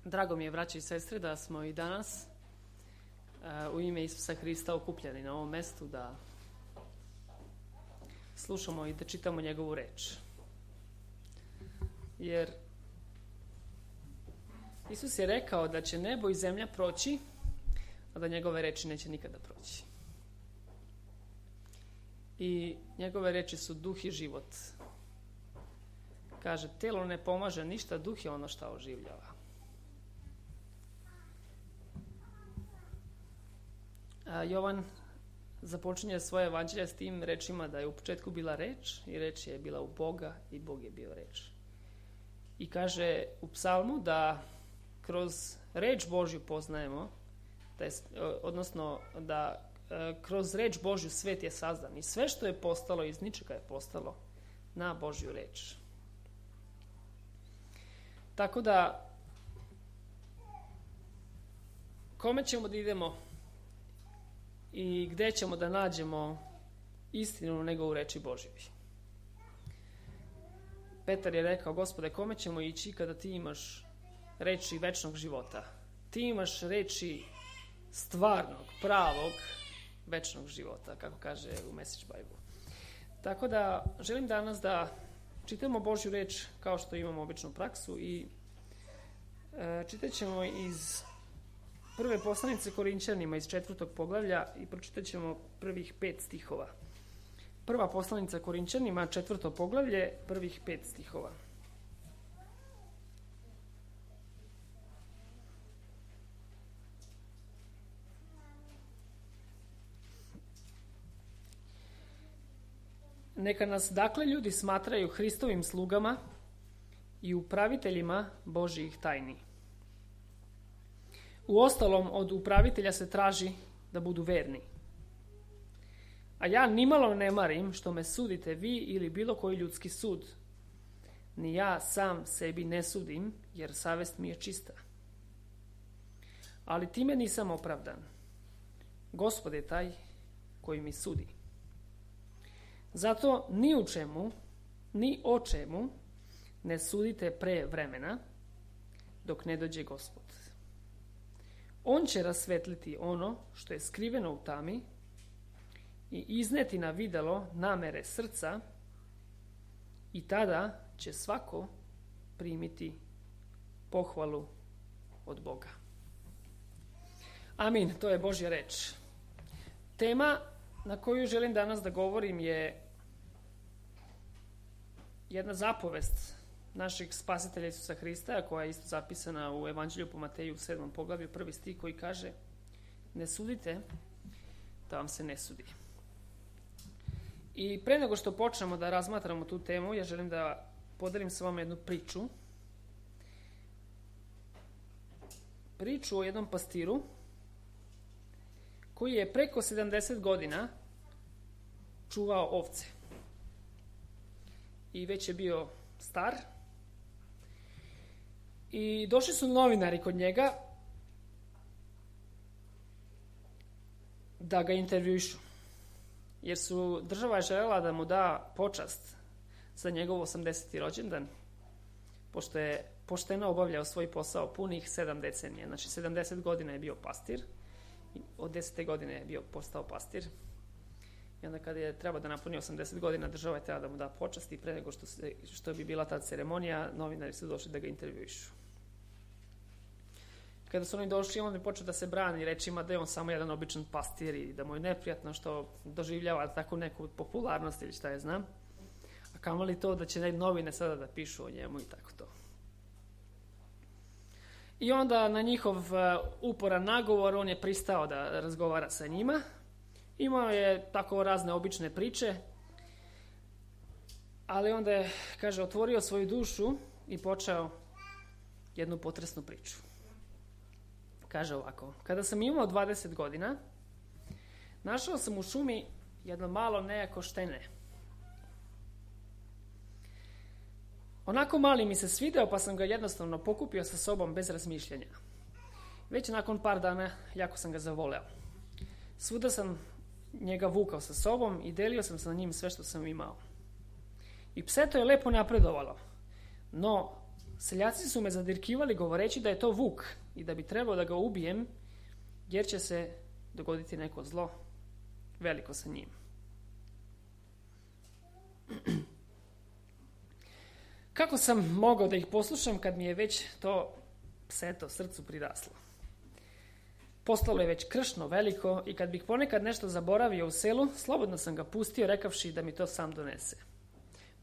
Drago mi je, braće i sestre, da smo i danas u ime Isusa Hrista okupljeni na ovom mestu da slušamo i da čitamo njegovu reč. Jer Isus je rekao da će nebo i zemlja proći, a da njegove reči neće nikada proći. I njegove reči su duh i život. Kaže, telo ne pomaže ništa, duh je ono što oživljava. Jovan započinje svoje evanđelje s tim rečima da je u početku bila reč i reč je bila u Boga i Bog je bio reč. I kaže u psalmu da kroz reč Božju poznajemo, odnosno da kroz reč Božju svet je sazdan i sve što je postalo iz ničega je postalo na Božju reč. Tako da kome ćemo da idemo i gde ćemo da nađemo istinu nego u reči Božjoj? Petar je rekao, Gospode, kome ćemo ići kada ti imaš reči večnog života? Ti imaš reči stvarnog, pravog, večnog života, kako kaže u Message Bible. Tako da želim danas da čitamo Božju reč kao što imamo običnu praksu i čitat ćemo iz prve poslanice Korinćanima iz 4. poglavlja i pročitat ćemo prvih 5 stihova. Prva poslanica Korinćanima, 4. poglavlje, prvih 5 stihova. Neka nas dakle ljudi smatraju Hristovim slugama i upraviteljima Božjih tajni. Uostalom, od upravitelja se traži da budu verni. A ja nimalo ne marim što me sudite vi ili bilo koji ljudski sud. Ni ja sam sebi ne sudim, jer savest mi je čista. Ali time nisam opravdan. Gospod je taj koji mi sudi. Zato ni u čemu, ni o čemu ne sudite pre vremena, dok ne dođe Gospod. On će rasvetliti ono što je skriveno u tami i izneti na videlo namere srca i tada će svako primiti pohvalu od Boga. Amin, to je Božja reč. Tema na koju želim danas da govorim je jedna zapovest našeg spasitelja Isusa Hrista, koja je isto zapisana u Evanđelju po Mateju u 7. poglavlju, 1. stih koji kaže: ne sudite da vam se ne sudi. I pre nego što počnemo da razmatramo tu temu, ja želim da podelim sa vama jednu priču. Priču o jednom pastiru koji je preko 70 godina čuvao ovce. I već je bio star. I došli su novinari kod njega da ga intervjuišu. Jer su država je željela da mu da počast za njegov 80. rođendan, pošto je pošteno obavljao svoj posao punih 7 decenija. Znači 70 godina je bio pastir. Od 10. godine je bio postao pastir. I onda kada je trebao da napuni 80 godina, država je trebala da mu da počast i pre nego što bi bila ta ceremonija, novinari su došli da ga intervjuišu. Kada su oni došli, on je počeo da se brani rečima da je on samo jedan običan pastir i da mu je neprijatno što doživljava tako neku popularnost ili šta je znam. A kamoli to da će novine sada da pišu o njemu i tako to. I onda na njihov uporan nagovor on je pristao da razgovara sa njima. Imao je tako razne obične priče, ali onda je, kaže, otvorio svoju dušu i počeo jednu potresnu priču. Kaže ovako: kada sam imao 20 godina, našao sam u šumi jedno malo nejako štene. Onako mali mi se svideo, pa sam ga jednostavno pokupio sa sobom bez razmišljanja. Već nakon par dana jako sam ga zavoleo. Svuda sam njega vukao sa sobom i delio sam sa njim sve što sam imao. I pse to je lepo napredovalo, no Seljaci su me zadirkivali govoreći da je to vuk i da bi trebao da ga ubijem, jer će se dogoditi neko zlo veliko sa njim. Kako sam mogao da ih poslušam kad mi je već to pseto srcu priraslo? Postalo je već kršno veliko i kad bih ponekad nešto zaboravio u selu, slobodno sam ga pustio rekavši da mi to sam donese.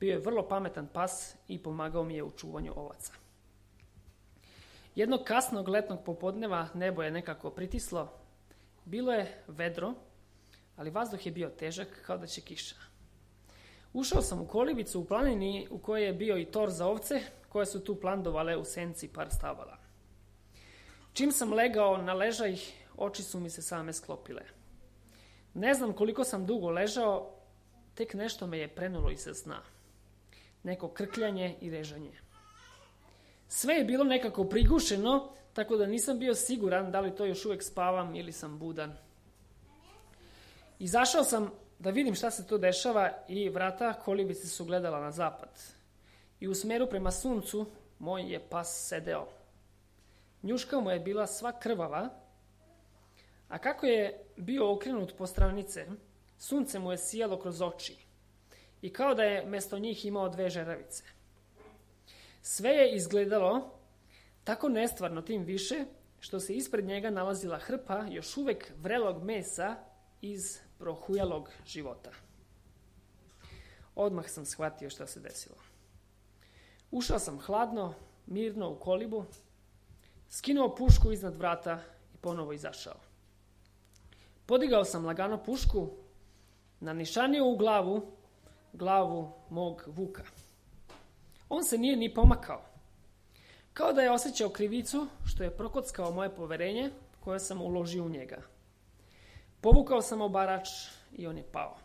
Bio je vrlo pametan pas i pomagao mi je u čuvanju ovaca. Jednog kasnog letnog popodneva nebo je nekako pritislo. Bilo je vedro, ali vazduh je bio težak kao da će kiša. Ušao sam u kolibicu u planini u kojoj je bio i tor za ovce koje su tu plandovale u senci par stabala. Čim sam legao na ležaj, oči su mi se same sklopile. Ne znam koliko sam dugo ležao, tek nešto me je prenulo iz sna. Neko krkljanje i režanje. Sve je bilo nekako prigušeno, tako da nisam bio siguran da li to još uvek spavam ili sam budan. Izašao sam da vidim šta se to dešava i vrata kolibice su gledala na zapad. I u smeru prema suncu moj je pas sedeo. Njuška mu je bila sva krvava, a kako je bio okrenut po stranice, sunce mu je sijalo kroz oči i kao da je mesto njih imao 2 žeravice. Sve je izgledalo tako nestvarno, tim više što se ispred njega nalazila hrpa još uvek vrelog mesa iz prohujalog života. Odmah sam shvatio šta se desilo. Ušao sam hladno, mirno u kolibu, skinuo pušku iznad vrata i ponovo izašao. Podigao sam lagano pušku, nanišanio u glavu mog vuka. On se nije ni pomakao. Kao da je osjećao krivicu što je prokockao moje poverenje koje sam uložio u njega. Povukao sam obarač i on je pao.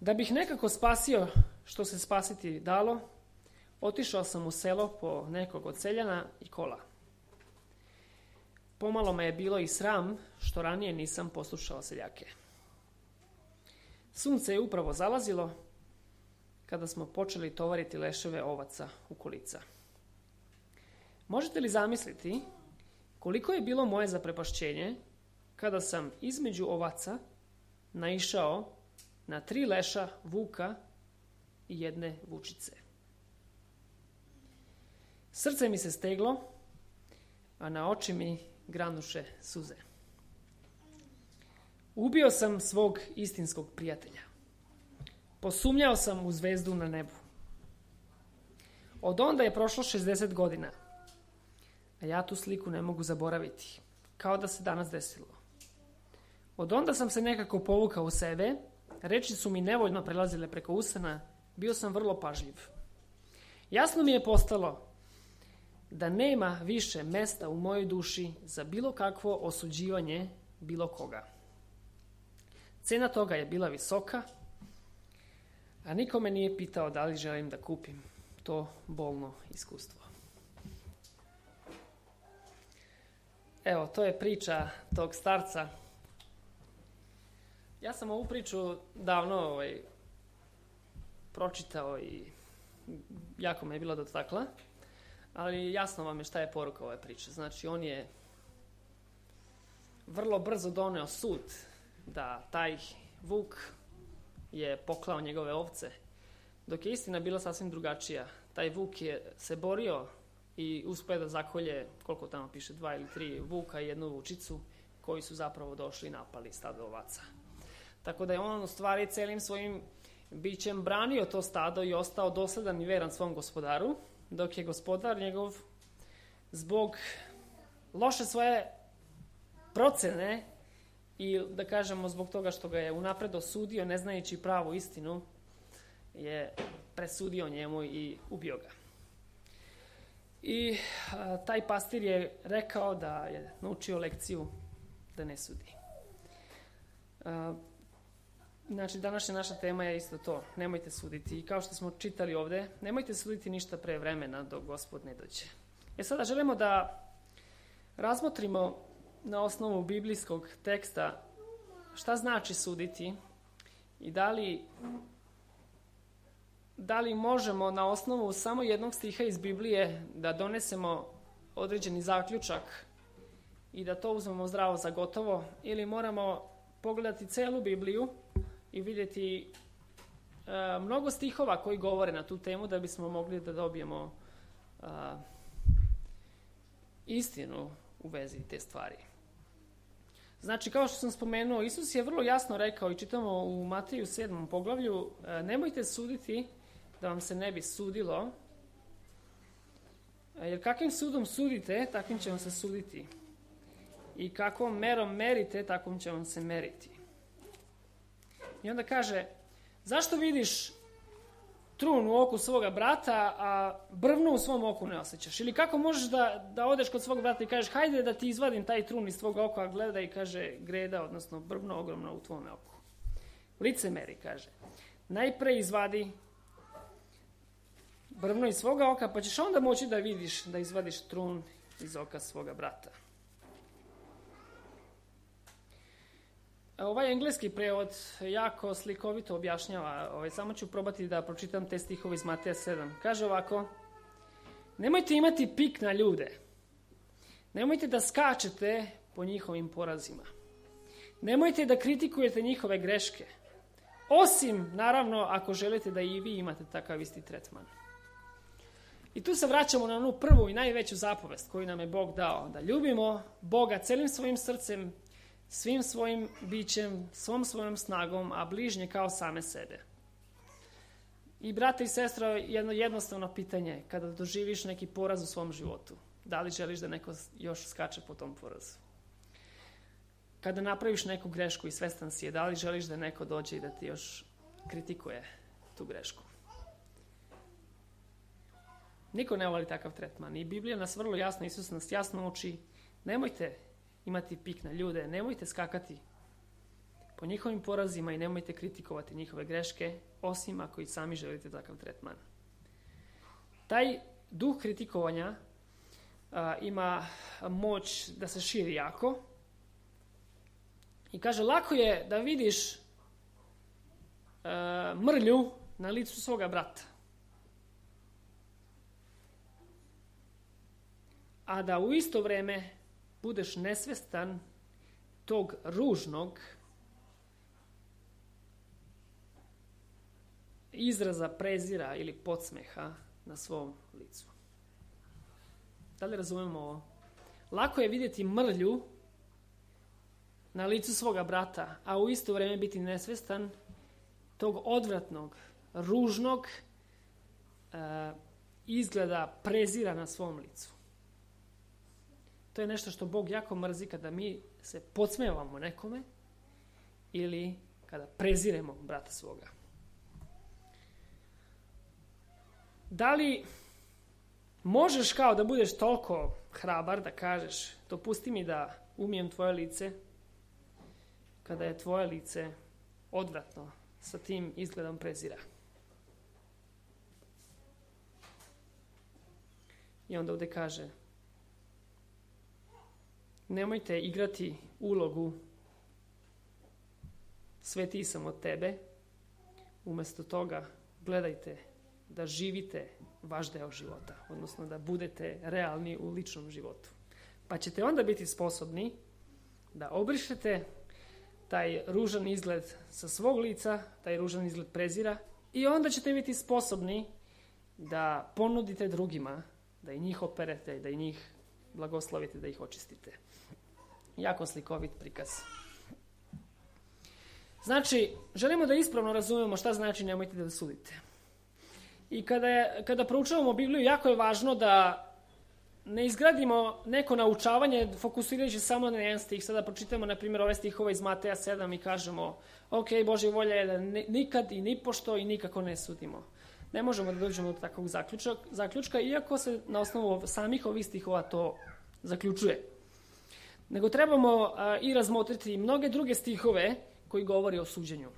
Da bih nekako spasio što se spasiti dalo, otišao sam u selo po nekog od seljana i kola. Pomalo me je bilo i sram što ranije nisam poslušao seljake. Sunce je upravo zalazilo kada smo počeli tovariti leševe ovaca u kolica. Možete li zamisliti koliko je bilo moje zaprepašćenje kada sam između ovaca naišao na 3 leša vuka i 1 vučice. Srce mi se steglo, a na oči mi granuše suze. Ubio sam svog istinskog prijatelja. Posumnjao sam u zvezdu na nebu. Od onda je prošlo 60 godina, a ja tu sliku ne mogu zaboraviti, kao da se danas desilo. Od onda sam se nekako povukao u sebe, reči su mi nevoljno prelazile preko usana, bio sam vrlo pažljiv. Jasno mi je postalo da nema više mesta u mojoj duši za bilo kakvo osuđivanje bilo koga. Cena toga je bila visoka, a niko me nije pitao da li želim da kupim to bolno iskustvo. Evo, to je priča tog starca. Ja sam ovu priču davno pročitao i jako me je bila dotakla, ali jasno vam je šta je poruka ove priče. Znači, on je vrlo brzo doneo sud da taj vuk je poklao njegove ovce, dok je istina bila sasvim drugačija. Taj vuk je se borio i uspeo da zakolje, koliko tamo piše, 2 ili 3 vuka i 1 vučicu, koji su zapravo došli i napali stado ovaca. Tako da je on u stvari celim svojim bićem branio to stado i ostao dosledan i veran svom gospodaru, dok je gospodar njegov zbog loše svoje procene i da kažemo zbog toga što ga je unapred osudio, ne znajući pravu istinu, je presudio njemu i ubio ga. I taj pastir je rekao da je naučio lekciju da ne sudi. Znači, današnja naša tema je isto to. Nemojte suditi. I kao što smo čitali ovde, nemojte suditi ništa pre vremena dok Gospod ne dođe. Sada želimo da razmotrimo na osnovu biblijskog teksta šta znači suditi i da li da li možemo na osnovu samo jednog stiha iz Biblije da donesemo određeni zaključak i da to uzmemo zdravo za gotovo, ili moramo pogledati celu Bibliju i vidjeti mnogo stihova koji govore na tu temu da bismo mogli da dobijemo istinu u vezi te stvari. Znači, kao što sam spomenuo, Isus je vrlo jasno rekao i čitamo u Mateju 7. poglavlju, nemojte suditi da vam se ne bi sudilo, jer kakvim sudom sudite, takvim će vam se suditi. I kakvom merom merite, takvom će vam se meriti. I onda kaže, zašto vidiš trun u oku svoga brata, a brvnu u svom oku ne osjećaš? Ili kako možeš da odeš kod svog brata i kažeš, hajde da ti izvadim taj trun iz tvog oka, a gleda i kaže, greda, odnosno brvno ogromno u tvome oku. Licemeri, kaže, najpre izvadi brvno iz svoga oka, pa ćeš onda moći da vidiš, da izvadiš trun iz oka svoga brata. Ovaj engleski prevod jako slikovito objašnjava, samo ću probati da pročitam te stihove iz Mateja 7. Kaže ovako, nemojte imati pik na ljude, nemojte da skačete po njihovim porazima, nemojte da kritikujete njihove greške, osim, naravno, ako želite da i vi imate takav isti tretman. I tu se vraćamo na onu prvu i najveću zapovest koju nam je Bog dao, da ljubimo Boga celim svojim srcem, svim svojim bićem, svom svojom snagom, a bližnje kao same sebe. I brate i sestra, jedno jednostavno pitanje, kada doživiš neki poraz u svom životu, da li želiš da neko još skače po tom porazu? Kada napraviš neku grešku i svestan si je, da li želiš da neko dođe i da ti još kritikuje tu grešku? Niko ne voli takav tretman. I Biblija nas vrlo jasno, Isus nas jasno uči, nemojte imati pik na ljude, nemojte skakati po njihovim porazima i nemojte kritikovati njihove greške, osim ako i sami želite takav tretman. Taj duh kritikovanja ima moć da se širi jako i kaže, lako je da vidiš mrlju na licu svoga brata, a da u isto vrijeme budeš nesvestan tog ružnog izraza prezira ili podsmeha na svom licu. Da li razumemo ovo? Lako je vidjeti mrlju na licu svoga brata, a u isto vrijeme biti nesvestan tog odvratnog, ružnog izgleda prezira na svom licu. To je nešto što Bog jako mrzi kada mi se podsmevamo nekome ili kada preziremo brata svoga. Da li možeš kao da budeš toliko hrabar da kažeš, dopusti mi da umijem tvoje lice, kada je tvoje lice odvratno sa tim izgledom prezira? I onda ovdje kaže, nemojte igrati ulogu svetiji sam od tebe. Umjesto toga gledajte da živite vaš deo života, odnosno da budete realni u ličnom životu. Pa ćete onda biti sposobni da obrišete taj ružan izgled sa svog lica, taj ružan izgled prezira, i onda ćete biti sposobni da ponudite drugima, da i njih operete, da i njih blagoslovite, da ih očistite. Jako slikovit prikaz. Znači, želimo da ispravno razumemo šta znači nemojte da sudite. I kada proučavamo Bibliju, jako je važno da ne izgradimo neko naučavanje fokusirajući samo na jedan stih. Sada pročitamo, na primjer, ove stihove iz Mateja 7 i kažemo, ok, Božja volja je da nikad i nipošto i nikako ne sudimo. Ne možemo da dođemo do takvog zaključka, iako se na osnovu samih ovih stihova to zaključuje. Nego trebamo i razmotriti mnoge druge stihove koji govori o suđenju.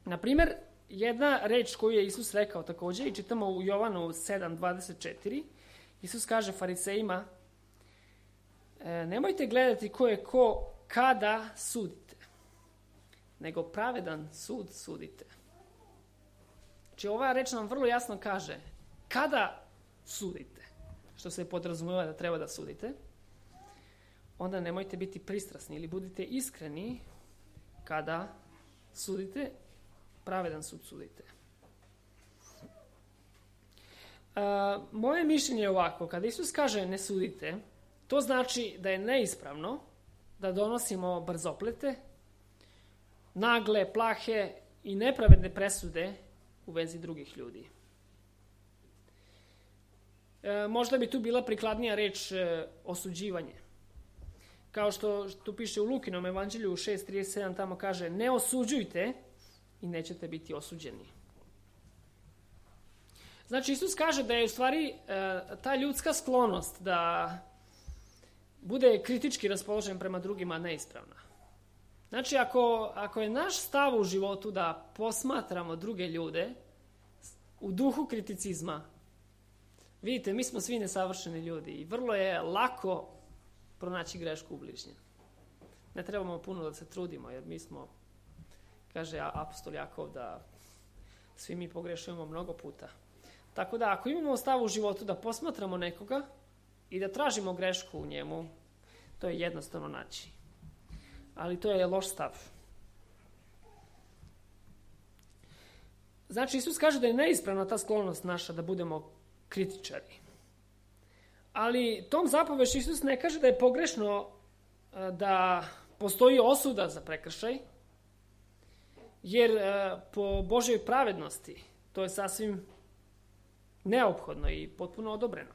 Na primjer, jedna reč koju je Isus rekao također, i čitamo u Jovanu 7:24, Isus kaže farisejima, nemojte gledati ko je ko kada sudite, nego pravedan sud sudite. Znači ova reč nam vrlo jasno kaže kada sudite, što se podrazumeva da treba da sudite, onda nemojte biti pristrasni ili budite iskreni kada sudite, pravedan sud sudite. Moje mišljenje je ovako, kada Isus kaže ne sudite, to znači da je neispravno da donosimo brzoplete, nagle, plahe i nepravedne presude u vezi drugih ljudi. Možda bi tu bila prikladnija reč osuđivanje. Kao što tu piše u Lukinom evanđelju 6.37, tamo kaže ne osuđujte i nećete biti osuđeni. Znači Isus kaže da je u stvari ta ljudska sklonost da bude kritički raspoložen prema drugima neispravna. Znači ako je naš stav u životu da posmatramo druge ljude u duhu kriticizma, vidite, mi smo svi nesavršeni ljudi i vrlo je lako pronaći grešku u bližnjem. Ne trebamo puno da se trudimo, jer mi smo, kaže apostol Jakov, da svi mi pogrešujemo mnogo puta. Tako da ako imamo stav u životu da posmatramo nekoga i da tražimo grešku u njemu, to je jednostavno naći. Ali to je loš stav. Znači Isus kaže da je neispravna ta sklonost naša da budemo kritičari. Ali tom zapovešću Isus ne kaže da je pogrešno da postoji osuda za prekršaj, jer po Božjoj pravednosti to je sasvim neophodno i potpuno odobreno.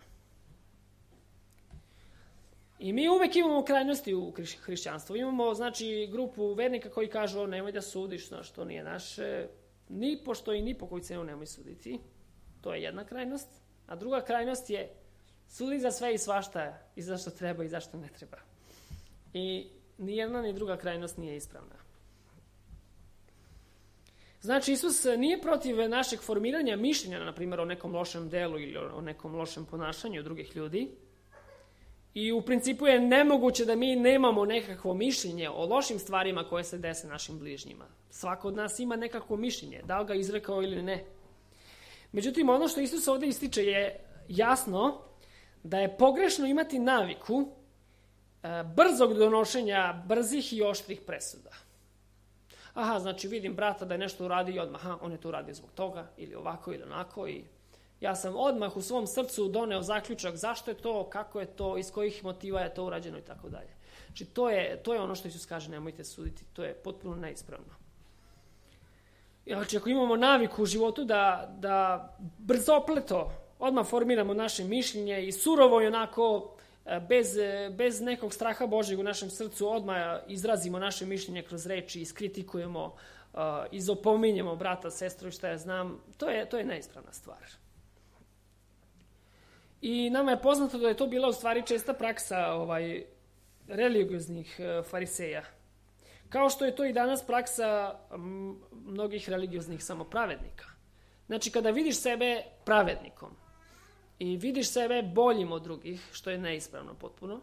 I mi uvek imamo krajnosti u hrišćanstvu. Imamo, znači, grupu vernika koji kažu nemoj da sudiš, što nije naše, ni pošto i ni po koju cenu nemoj suditi. To je jedna krajnost. A druga krajnost je sudi za sve i svašta i zašto treba i zašto ne treba. I ni jedna ni druga krajnost nije ispravna. Znači, Isus nije protiv našeg formiranja mišljenja, na primjer, o nekom lošem delu ili o nekom lošem ponašanju drugih ljudi. I u principu je nemoguće da mi nemamo nekakvo mišljenje o lošim stvarima koje se dese našim bližnjima. Svako od nas ima nekakvo mišljenje, da li ga izrekao ili ne. Međutim, ono što Isus ovdje ističe je jasno da je pogrešno imati naviku brzog donošenja brzih i oštrih presuda. Aha, znači vidim brata da je nešto uradio i odmah, on je to uradio zbog toga, ili ovako ili onako, i ja sam odmah u svom srcu doneo zaključak zašto je to, kako je to, iz kojih motiva je to urađeno i tako dalje. Znači to je ono što Isus kaže, nemojte suditi, to je potpuno neispravno. Znači ako imamo naviku u životu da brzopleto odmah formiramo naše mišljenje i surovo i onako bez nekog straha Božjeg u našem srcu odmah izrazimo naše mišljenje kroz reči, iskritikujemo, izopominjemo brata, sestru i šta ja znam, to je neispravna stvar. I nama je poznato da je to bila u stvari česta praksa religioznih fariseja. Kao što je to i danas praksa mnogih religioznih samopravednika. Znači kada vidiš sebe pravednikom i vidiš sebe boljim od drugih, što je neispravno potpuno,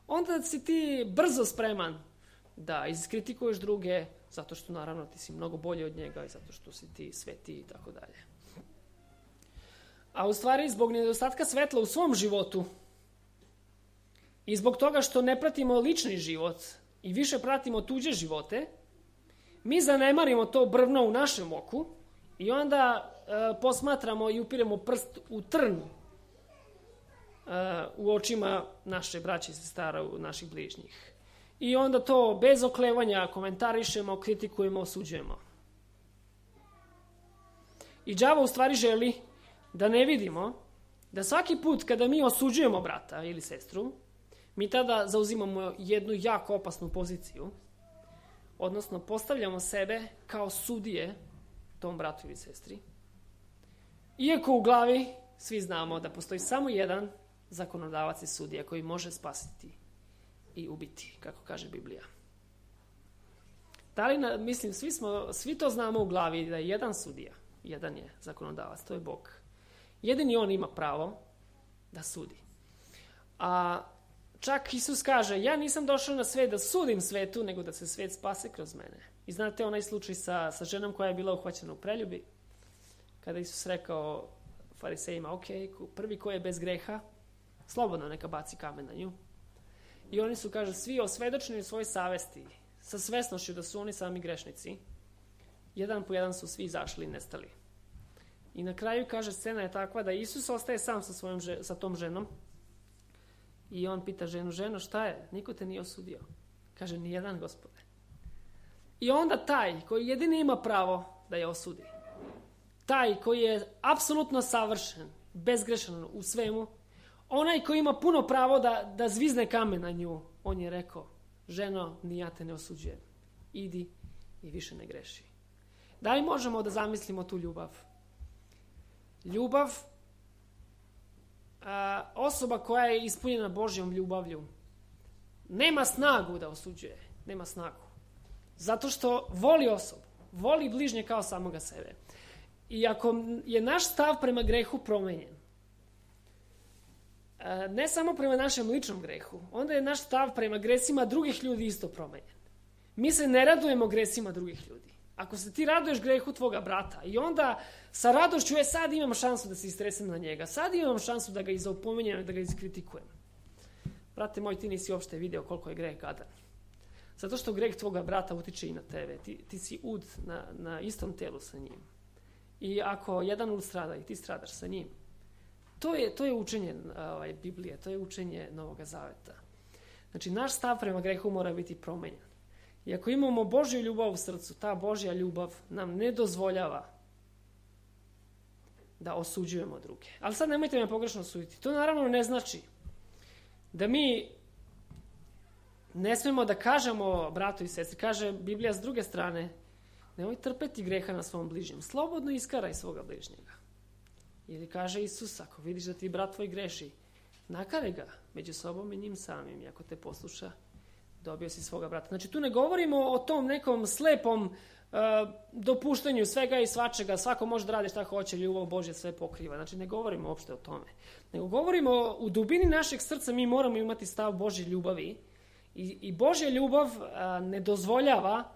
onda si ti brzo spreman da iskritikuješ druge, zato što naravno ti si mnogo bolji od njega i zato što si ti svetiji i tako dalje. A u stvari zbog nedostatka svetla u svom životu i zbog toga što ne pratimo lični život i više pratimo tuđe živote, mi zanemarimo to brvno u našem oku i onda posmatramo i upiremo prst u trn u očima naše braće i sestara, naših bližnjih. I onda to bez oklevanja komentarišemo, kritikujemo, osuđujemo. I đavo u stvari želi da ne vidimo da svaki put kada mi osuđujemo brata ili sestru, mi tada zauzimamo jednu jako opasnu poziciju, odnosno postavljamo sebe kao sudije tom bratu ili sestri. Iako u glavi svi znamo da postoji samo jedan zakonodavac i sudija koji može spasiti i ubiti, kako kaže Biblija. Mislim, svi to znamo u glavi da je jedan sudija, jedan je zakonodavac, to je Bog. Jedini on ima pravo da sudi. A čak Isus kaže, ja nisam došao na svet da sudim svetu, nego da se svet spase kroz mene. I znate onaj slučaj sa ženom koja je bila uhvaćena u preljubi. kada Isus rekao farisejima, ok, prvi ko je bez greha, slobodno neka baci kamen na nju. I oni su, kaže, svi osvedočeni u svojoj savesti, sa svesnošću da su oni sami grešnici. Jedan po jedan su svi izašli i nestali. I na kraju, kaže, scena je takva da Isus ostaje sam sa tom ženom. I on pita ženo, šta je? Niko te nije osudio. Kaže, nijedan, Gospode. I onda taj koji jedini ima pravo da je osudi, taj koji je apsolutno savršen, bezgrešan u svemu, onaj koji ima puno pravo da zvizne kamen na nju, on je rekao, ženo, ni ja te ne osuđujem. Idi i više ne greši. Da li možemo da zamislimo tu ljubav? Ljubav, osoba koja je ispunjena Božjom ljubavlju, nema snagu da osuđuje. Nema snagu. Zato što voli osobu. Voli bližnje kao samoga sebe. I ako je naš stav prema grehu promenjen, ne samo prema našem ličnom grehu, onda je naš stav prema gresima drugih ljudi isto promenjen. Mi se ne radujemo gresima drugih ljudi. Ako se ti raduješ grehu tvoga brata i onda sa radošću, sad imam šansu da se istresem na njega, sad imam šansu da ga izopominjem, da ga iskritikujem. Brate moj, ti nisi uopšte video koliko je greh gadan. Zato što greh tvoga brata utiče i na tebe. Ti si ud na istom telu sa njim. I ako jedan ud strada i ti stradaš sa njim, to je učenje Biblije, to je učenje Novoga Zaveta. Znači, naš stav prema grehu mora biti promenjen. I ako imamo Božju ljubav u srcu, ta Božja ljubav nam ne dozvoljava da osuđujemo druge. Ali sad nemojte me pogrešno osuditi. To naravno ne znači da mi ne smemo da kažemo bratu i sestri. Kaže Biblija s druge strane, nemoj trpeti greha na svom bližnjem. Slobodno iskaraj svoga bližnjega. Ili kaže Isus, ako vidiš da ti brat tvoj greši, nakare ga među sobom i njim samim. I ako te posluša, dobio si svoga brata. Znači, tu ne govorimo o tom nekom slepom dopuštanju svega i svačega. Svako može da radi šta hoće, ljubav Božja sve pokriva. Znači, ne govorimo uopšte o tome. Nego govorimo u dubini našeg srca, mi moramo imati stav Božje ljubavi. I Božja ljubav ne dozvoljava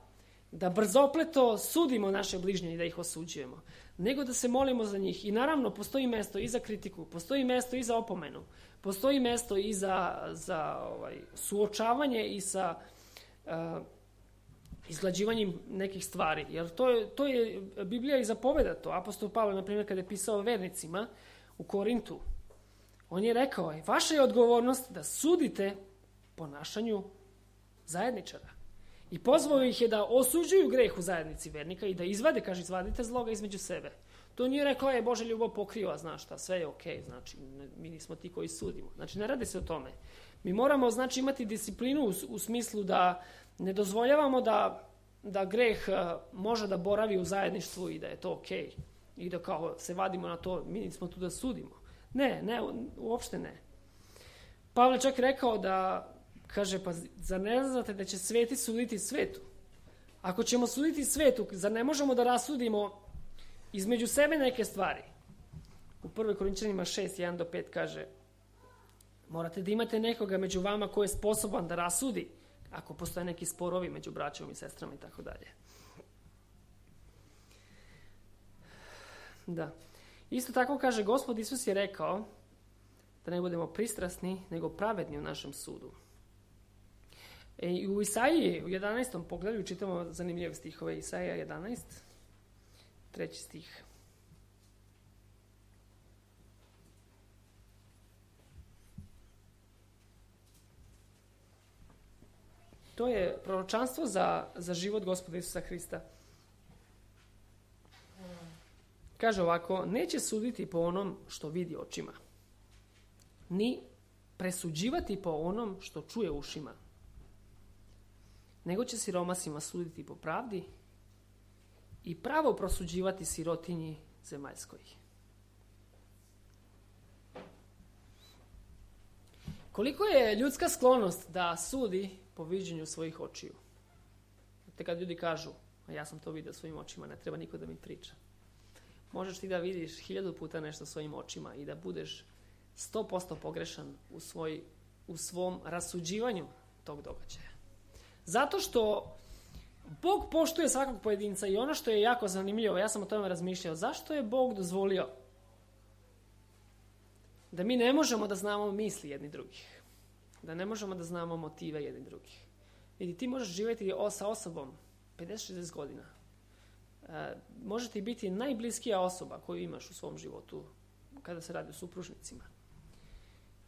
da brzopleto sudimo naše bližnje i da ih osuđujemo, nego da se molimo za njih. I naravno, postoji mesto i za kritiku, postoji mesto i za opomenu, postoji mesto i za suočavanje i sa izglađivanjem nekih stvari. Jer to je Biblija i zapoveda to. Apostol Pavle, na primjer, kada je pisao vernicima u Korintu, on je rekao, vaša je odgovornost da sudite ponašanju zajedničara. I pozvao ih je da osuđuju greh u zajednici vernika i da izvadite zloga između sebe. To nije rekao, Božja ljubav pokriva, znaš šta, sve je okej, znači, mi nismo ti koji sudimo. Znači, ne radi se o tome. Mi moramo, znači, imati disciplinu u smislu da ne dozvoljavamo da greh može da boravi u zajedništvu i da je to okej. I da kao se vadimo na to, mi nismo tu da sudimo. Ne, uopšte ne. Pavle čak rekao da, kaže, pa zar ne znate da će sveti suditi svetu? Ako ćemo suditi svetu, zar ne možemo da rasudimo između sebe neke stvari? U 1. Korinćanima 6:1-5 kaže, morate da imate nekoga među vama ko je sposoban da rasudi, ako postoje neki sporovi među braćom i sestrama i tako dalje. Da. Isto tako kaže, Gospod Isus je rekao da ne budemo pristrasni, nego pravedni u našem sudu. I u Isaiji, u 11. poglavlju, čitamo zanimljive stihove. Isaija 11, 3. stih. To je proročanstvo za život Gospoda Isusa Hrista. Kaže ovako, neće suditi po onom što vidi očima, ni presuđivati po onom što čuje ušima, nego će siromasima suditi po pravdi i pravo prosuđivati sirotinji zemaljskoj. Koliko je ljudska sklonost da sudi po viđenju svojih očiju? Te kad ljudi kažu, a ja sam to vidio svojim očima, ne treba niko da mi priča. Možeš ti da vidiš 1000 puta nešto svojim očima i da budeš 100% pogrešan u svom rasuđivanju tog događaja. Zato što Bog poštuje svakog pojedinca i ono što je jako zanimljivo, ja sam o tome razmišljao, zašto je Bog dozvolio da mi ne možemo da znamo misli jedni drugih, da ne možemo da znamo motive jedni drugih. Vidi, ti možeš živjeti sa osobom 50-60 godina. Može ti biti najbliskija osoba koju imaš u svom životu kada se radi o supružnicima.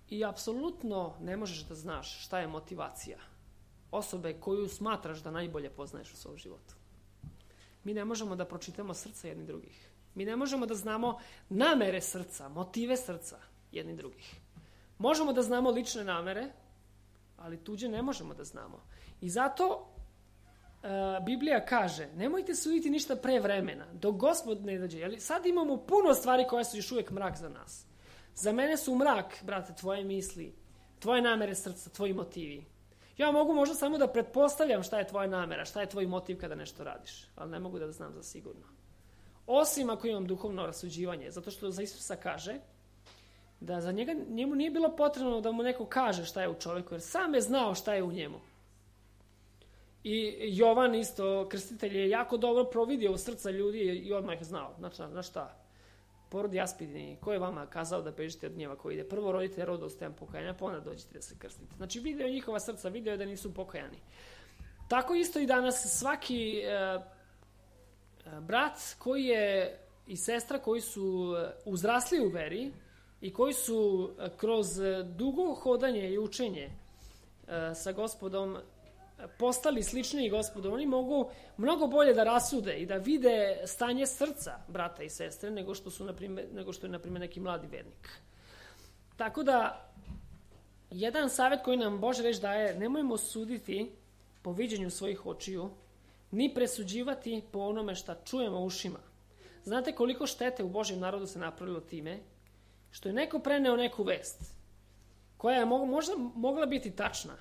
I apsolutno ne možeš da znaš šta je motivacija osobe koju smatraš da najbolje poznaješ u svom životu. Mi ne možemo da pročitamo srca jedni drugih. Mi ne možemo da znamo namere srca, motive srca jedni drugih. Možemo da znamo lične namere, ali tuđe ne možemo da znamo. I zato Biblija kaže, nemojte suditi ništa pre vremena, dok Gospod ne dođe. Jer sad imamo puno stvari koje su još uvijek mrak za nas. Za mene su mrak, brate, tvoje misli, tvoje namere srca, tvoji motivi. Ja mogu možda samo da pretpostavljam šta je tvoja namera, šta je tvoj motiv kada nešto radiš, ali ne mogu da znam za sigurno. Osim ako imam duhovno rasuđivanje, zato što za Isusa kaže da za njemu nije bilo potrebno da mu neko kaže šta je u čovjeku, jer sam je znao šta je u njemu. I Jovan isto, krstitelj, je jako dobro providio u srca ljudi i odmah je znao. Znači šta? Porod jaspidni, ko je vama kazao da bežite od gnjeva koji ide? Prvo rodite rodu s tem pokajanja, pa onda dođete da se krstite. Znači video njihova srca, video da nisu pokajani. Tako isto i danas svaki brat koji je i sestra koji su uzrasli u veri i koji su kroz dugo hodanje i učenje sa Gospodom postali sličniji Gospodu, oni mogu mnogo bolje da rasude i da vide stanje srca brata i sestre nego što je, na primjer, neki mladi vernik. Tako da, jedan savjet koji nam Božja reč daje, nemojmo suditi po viđenju svojih očiju, ni presuđivati po onome šta čujemo ušima. Znate koliko štete u Božjem narodu se napravilo time što je neko preneo neku vest koja je možda mogla biti tačna.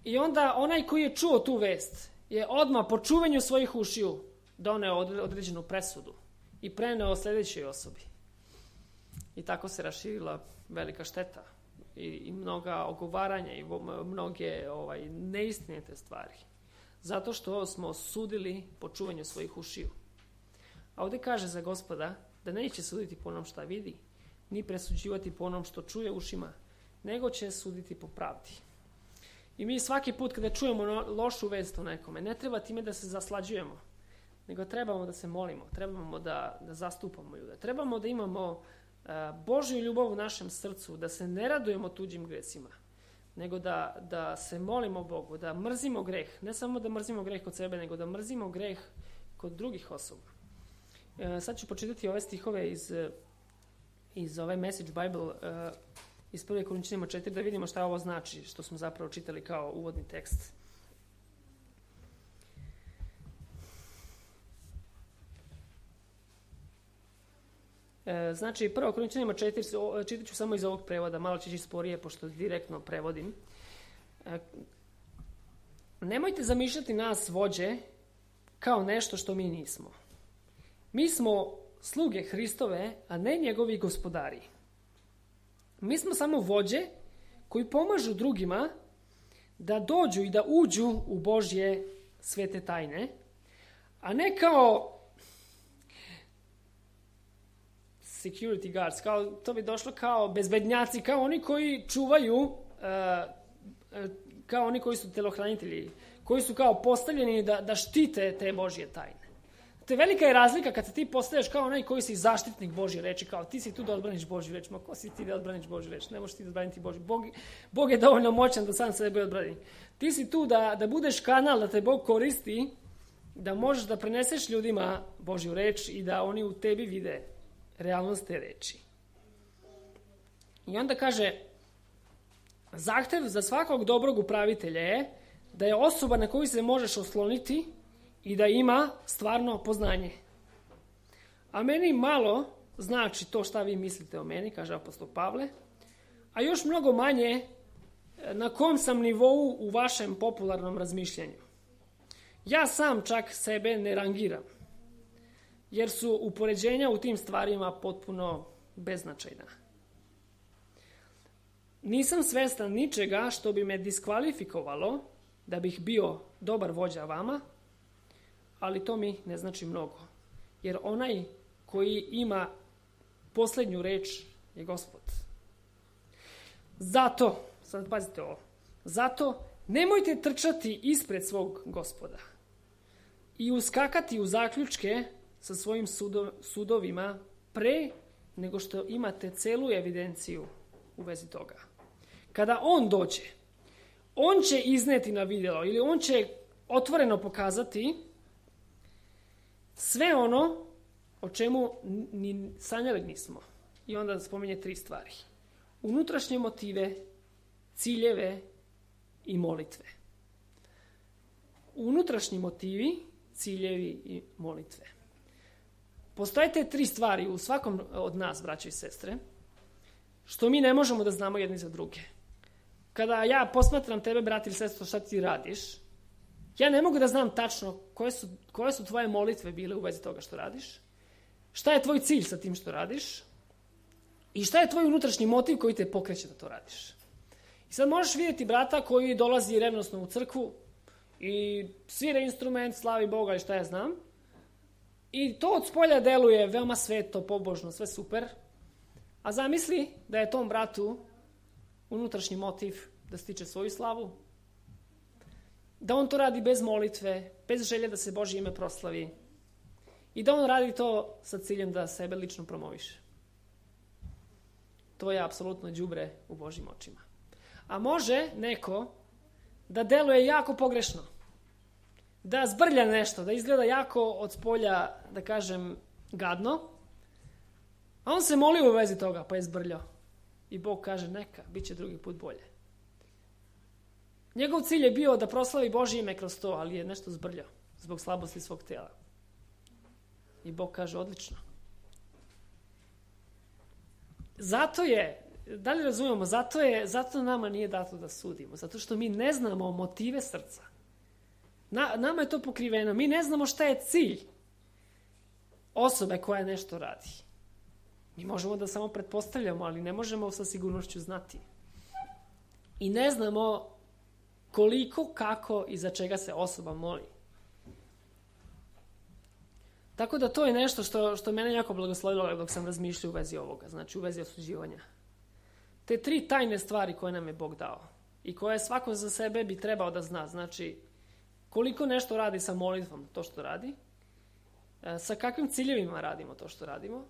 I onda onaj koji je čuo tu vest je odmah po čuvanju svojih ušiju doneo određenu presudu i preneo sljedećoj osobi. I tako se raširila velika šteta i mnoga ogovaranja i mnoge neistinite stvari. Zato što smo sudili po čuvanju svojih ušiju. A ovdje kaže za Gospoda da neće suditi po onom šta vidi, ni presuđivati po onom što čuje ušima, nego će suditi po pravdi. I mi svaki put kada čujemo lošu vest o nekome, ne treba time da se zaslađujemo, nego trebamo da se molimo, trebamo da zastupamo ljude, trebamo da imamo Božju ljubav u našem srcu, da se ne radujemo tuđim gresima, nego da se molimo Bogu, da mrzimo greh, ne samo da mrzimo greh kod sebe, nego da mrzimo greh kod drugih osoba. Sad ću počitati ove stihove iz ove Message Bible, iz 1. Korinćanima 4, da vidimo šta ovo znači, što smo zapravo čitali kao uvodni tekst. Znači, 1. Korinćanima 4, čitat ću samo iz ovog prevoda, malo će ići sporije, pošto direktno prevodim. Nemojte zamišljati nas, vođe, kao nešto što mi nismo. Mi smo sluge Hristove, a ne njegovi gospodari. Mi smo samo vođe koji pomažu drugima da dođu i da uđu u Božje svete tajne, a ne kao security guards, to bi došlo kao bezbednjaci, kao oni koji čuvaju, kao oni koji su telohranitelji, koji su kao postavljeni da štite te Božje tajne. To je velika je razlika kad se ti postavljaš kao onaj koji si zaštitnik Božje reči, kao ti si tu da odbraniš Božju reč. Ma ko si ti da odbraniš Božju reč? Ne možeš ti da odbraniti Božju. Bog je dovoljno moćan da sam sebe odbrani. Ti si tu da budeš kanal, da te Bog koristi, da možeš da preneseš ljudima Božju reč i da oni u tebi vide realnost te reči. I onda kaže, zahtev za svakog dobrog upravitelja je da je osoba na koju se možeš osloniti i da ima stvarno poznanje. A meni malo znači to šta vi mislite o meni, kaže apostol Pavle, a još mnogo manje na kom sam nivou u vašem popularnom razmišljanju. Ja sam čak sebe ne rangiram, jer su upoređenja u tim stvarima potpuno beznačajna. Nisam svestan ničega što bi me diskvalifikovalo da bih bio dobar vođa vama, ali to mi ne znači mnogo. Jer onaj koji ima posljednju reč je Gospod. Zato, sad pazite ovo, zato nemojte trčati ispred svog Gospoda i uskakati u zaključke sa svojim sudovima pre nego što imate celu evidenciju u vezi toga. Kada on dođe, on će izneti na vidjelo ili on će otvoreno pokazati sve ono o čemu ni sanjali nismo. I onda spominje 3 stvari. Unutrašnje motive, ciljeve i molitve. Unutrašnji motivi, ciljevi i molitve. Postoje te 3 stvari u svakom od nas, braćo i sestre, što mi ne možemo da znamo jedni za druge. Kada ja posmatram tebe, brat ili sestro, šta ti radiš, ja ne mogu da znam tačno koje su tvoje molitve bile u vezi toga što radiš, šta je tvoj cilj sa tim što radiš i šta je tvoj unutrašnji motiv koji te pokreće da to radiš. I sad možeš vidjeti brata koji dolazi revnosno u crkvu i svira instrument, slavi Boga i šta ja znam, i to od spolja deluje veoma sveto, pobožno, sve super, a zamisli da je tom bratu unutrašnji motiv da stiče svoju slavu, da on to radi bez molitve, bez želje da se Božje ime proslavi i da on radi to sa ciljem da sebe lično promoviše. To je apsolutno đubre u Božjim očima. A može neko da deluje jako pogrešno, da zbrlja nešto, da izgleda jako od spolja, da kažem, gadno, a on se moli u vezi toga, pa je zbrljao. I Bog kaže, neka, bit će drugi put bolje. Njegov cilj je bio da proslavi Božje ime kroz to, ali je nešto zbrljao zbog slabosti svog tijela. I Bog kaže, odlično. Zato je, da li razumemo, zato nama nije dato da sudimo, zato što mi ne znamo motive srca. Nama je to pokriveno, mi ne znamo šta je cilj osobe koja nešto radi. Mi možemo da samo pretpostavljamo, ali ne možemo sa sigurnošću znati. I ne znamo koliko, kako i za čega se osoba moli. Tako da to je nešto što mene jako blagoslovilo dok sam razmišljao u vezi ovoga, znači u vezi osuđivanja. Te 3 tajne stvari koje nam je Bog dao i koje svako za sebe bi trebao da zna, znači koliko nešto radi sa molitvom to što radi, sa kakvim ciljevima radimo to što radimo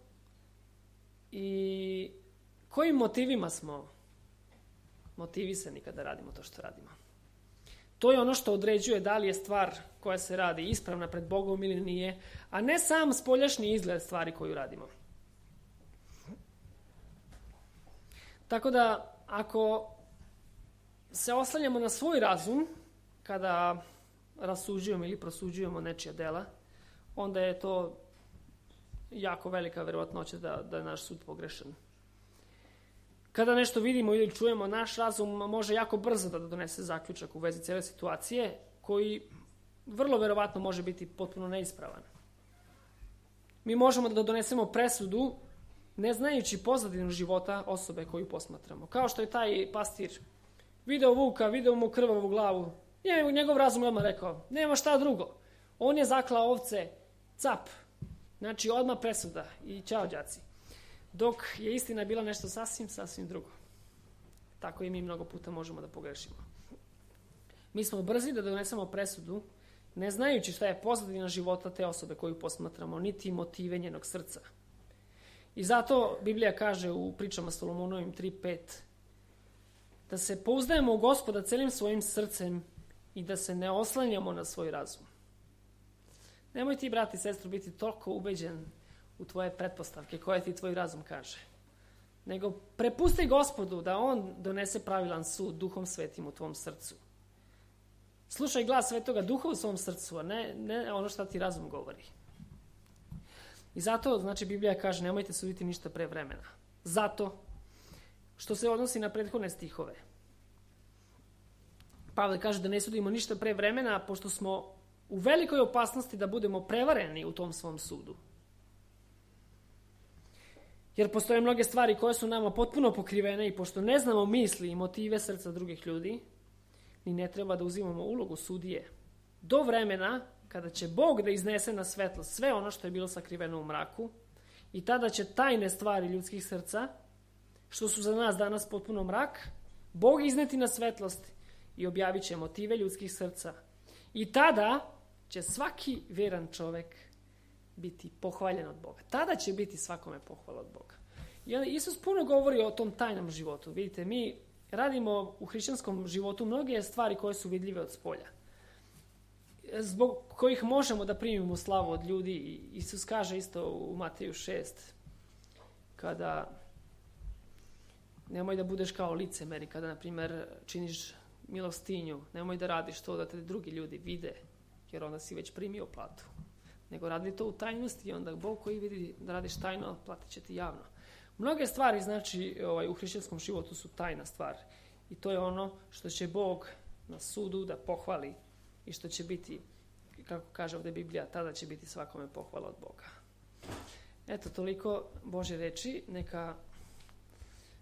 i kojim motivima smo motivisani kada radimo to što radimo. To je ono što određuje da li je stvar koja se radi ispravna pred Bogom ili nije, a ne sam spoljašnji izgled stvari koju radimo. Tako da, ako se oslanjamo na svoj razum, kada rasuđujemo ili prosuđujemo nečija dela, onda je to jako velika verovatnoća da je naš sud pogrešan. Kada nešto vidimo ili čujemo, naš razum može jako brzo da donese zaključak u vezi cijele situacije, koji vrlo verovatno može biti potpuno neispravan. Mi možemo da donesemo presudu ne znajući pozadinu života osobe koju posmatramo. Kao što je taj pastir video vuka, video mu krvavu glavu. Njegov razum je odmah rekao, nema šta drugo. On je zaklao ovce, cap. Znači odmah presuda i ćao đaci. Dok je istina bila nešto sasvim drugo. Tako i mi mnogo puta možemo da pogrešimo. Mi smo brzi da donesemo presudu, ne znajući šta je pozadina života te osobe koju posmatramo, niti motive njenog srca. I zato Biblija kaže u pričama Solomonovim 3.5 da se pouzdajemo u Gospoda celim svojim srcem i da se ne oslanjamo na svoj razum. Nemoj ti, brati i sestro, biti toliko ubeđen u tvoje pretpostavke koje ti tvoj razum kaže. Nego prepusti Gospodu da on donese pravilan sud Duhom Svetim u tvom srcu. Slušaj glas Svetoga Duha u svom srcu, a ne ono što ti razum govori. I zato, znači, Biblija kaže, nemojte suditi ništa pre vremena. Zato što se odnosi na prethodne stihove. Pavle kaže da ne sudimo ništa pre vremena, pošto smo u velikoj opasnosti da budemo prevareni u tom svom sudu. Jer postoje mnoge stvari koje su nama potpuno pokrivene i pošto ne znamo misli i motive srca drugih ljudi, ni ne treba da uzimamo ulogu sudije. Do vremena kada će Bog da iznese na svetlo sve ono što je bilo sakriveno u mraku i tada će tajne stvari ljudskih srca, što su za nas danas potpuno mrak, Bog izneti na svetlost i objavit će motive ljudskih srca. I tada će svaki vjeran čovjek biti pohvaljen od Boga. Tada će biti svakome pohvala od Boga. I onda Isus puno govori o tom tajnom životu. Vidite, mi radimo u hrišćanskom životu mnoge stvari koje su vidljive od spolja, zbog kojih možemo da primimo slavu od ljudi. Isus kaže isto u Mateju 6, kada nemoj da budeš kao licemeri, kada, na primjer, činiš milostinju, nemoj da radiš to da te drugi ljudi vide, jer onda si već primio platu. Nego radi to u tajnosti i onda Bog koji vidi da radiš tajno, platit će ti javno. Mnoge stvari, znači, u hrišćanskom životu su tajna stvar. I to je ono što će Bog na sudu da pohvali i što će biti, kako kaže ovdje Biblija, tada će biti svakome pohvala od Boga. Eto, toliko Božje reči. Neka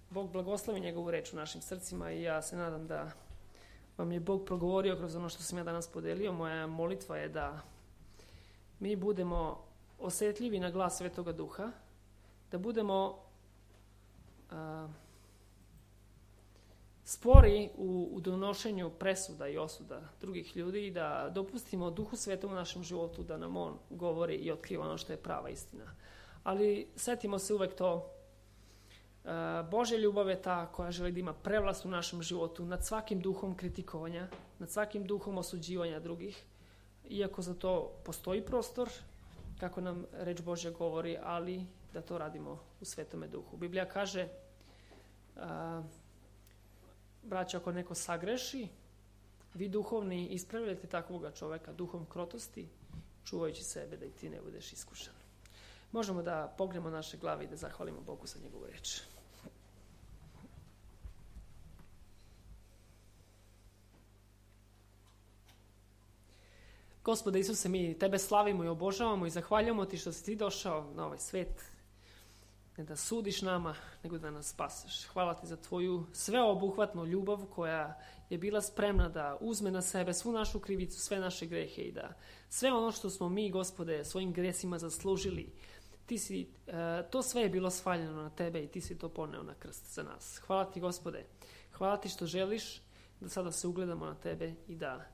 Bog blagoslovi njegovu reč u našim srcima i ja se nadam da vam je Bog progovorio kroz ono što sam ja danas podelio. Moja molitva je da mi budemo osjetljivi na glas Svetoga Duha, da budemo spori u donošenju presuda i osuda drugih ljudi i da dopustimo Duhu Svetom u našem životu da nam on govori i otkriva ono što je prava istina. Ali setimo se uvek to, Božja ljubav je ta koja želi da ima prevlast u našem životu nad svakim duhom kritikovanja, nad svakim duhom osuđivanja drugih, iako za to postoji prostor, kako nam reč Božja govori, ali da to radimo u Svetome Duhu. Biblija kaže, braćo, ako neko sagreši, vi duhovni ispravljate takvoga čoveka duhom krotosti, čuvajući sebe da i ti ne budeš iskušan. Možemo da pognemo naše glave i da zahvalimo Bogu za njegovu reč. Gospode Isuse, mi tebe slavimo i obožavamo i zahvaljujemo ti što si ti došao na ovaj svet, ne da sudiš nama, nego da nas spaseš. Hvala ti za tvoju sveobuhvatnu ljubav koja je bila spremna da uzme na sebe svu našu krivicu, sve naše grehe i da sve ono što smo mi, Gospode, svojim gresima zaslužili, to sve je bilo svaljeno na tebe i ti si to poneo na krst za nas. Hvala ti, Gospode. Hvala ti što želiš da sada se ugledamo na tebe i da,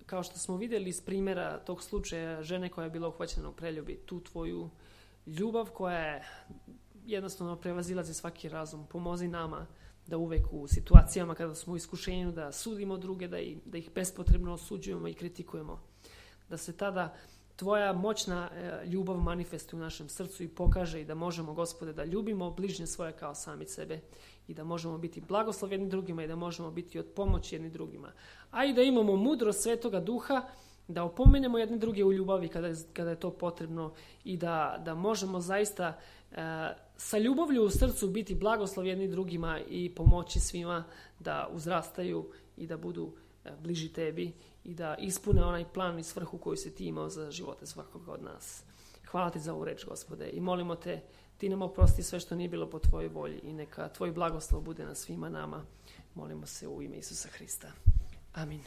kao što smo vidjeli iz primjera tog slučaja žene koja je bila uhvaćena u preljubi, tu tvoju ljubav koja je jednostavno prevazilazi svaki razum. Pomozi nama da uvek u situacijama kada smo u iskušenju da sudimo druge, da ih bespotrebno osuđujemo i kritikujemo. Da se tada tvoja moćna ljubav manifestuje u našem srcu i pokaže i da možemo, Gospode, da ljubimo bližnje svoje kao sami sebe i da možemo biti blagoslovi jedni drugima i da možemo biti od pomoći jedni drugima. A i da imamo mudrost Svetoga Duha da opomenemo jedne druge u ljubavi kada je to potrebno i da možemo zaista sa ljubavlju u srcu biti blagoslovi jedni drugima i pomoći svima da uzrastaju i da budu bliži tebi i da ispune onaj plan i svrhu koju si ti imao za živote svakoga od nas. Hvala ti za ovu reč, Gospode, i molimo te, ti nam oprosti sve što nije bilo po tvojoj volji i neka tvoj blagoslov bude na svima nama. Molimo se u ime Isusa Hrista. Amin.